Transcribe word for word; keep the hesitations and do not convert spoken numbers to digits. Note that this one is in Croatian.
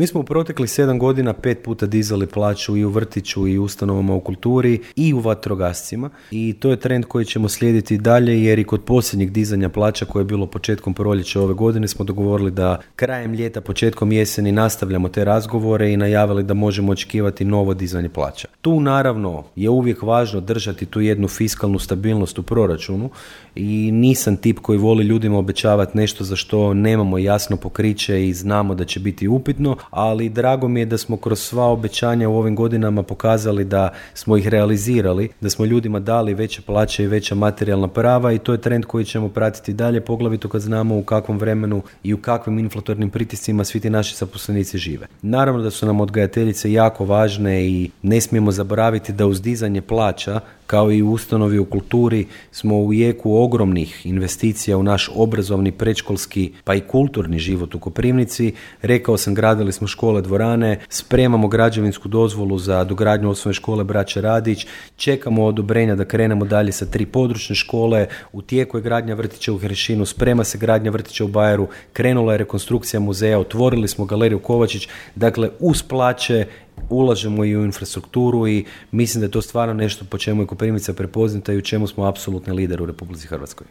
Mi smo u proteklih sedam godina pet puta dizali plaću i u vrtiću i u ustanovama u kulturi i u vatrogascima i to je trend koji ćemo slijediti dalje, jer i kod posljednjeg dizanja plaća koje je bilo početkom proljeća ove godine smo dogovorili da krajem ljeta, početkom jeseni nastavljamo te razgovore i najavili da možemo očekivati novo dizanje plaća. Tu naravno je uvijek važno držati tu jednu fiskalnu stabilnost u proračunu i nisam tip koji voli ljudima obećavati nešto za što nemamo jasno pokriće i znamo da će biti upitno, ali drago mi je da smo kroz sva obećanja u ovim godinama pokazali da smo ih realizirali, da smo ljudima dali veće plaće i veća materijalna prava i to je trend koji ćemo pratiti dalje, poglavito kad znamo u kakvom vremenu i u kakvim inflatornim pritiscima svi ti naši zaposlenici žive. Naravno da su nam odgajateljice jako važne i ne smijemo zaboraviti da uz dizanje plaća, kao i u ustanovi u kulturi, smo u jeku ogromnih investicija u naš obrazovni, predškolski pa i kulturni život u Koprivnici. Rekao sam, gradili smo škole, dvorane, spremamo građevinsku dozvolu za dogradnju osnovne škole Braće Radić, čekamo odobrenja da krenemo dalje sa tri područne škole, u tijeku je gradnja vrtića u Hrešinu, sprema se gradnja vrtića u Bajeru, krenula je rekonstrukcija muzeja, otvorili smo galeriju Kovačić, dakle uz plaće ulažemo i u infrastrukturu i mislim da je to stvarno nešto po čemu je Koprivnica prepoznata i u čemu smo apsolutni lider u Republici Hrvatskoj.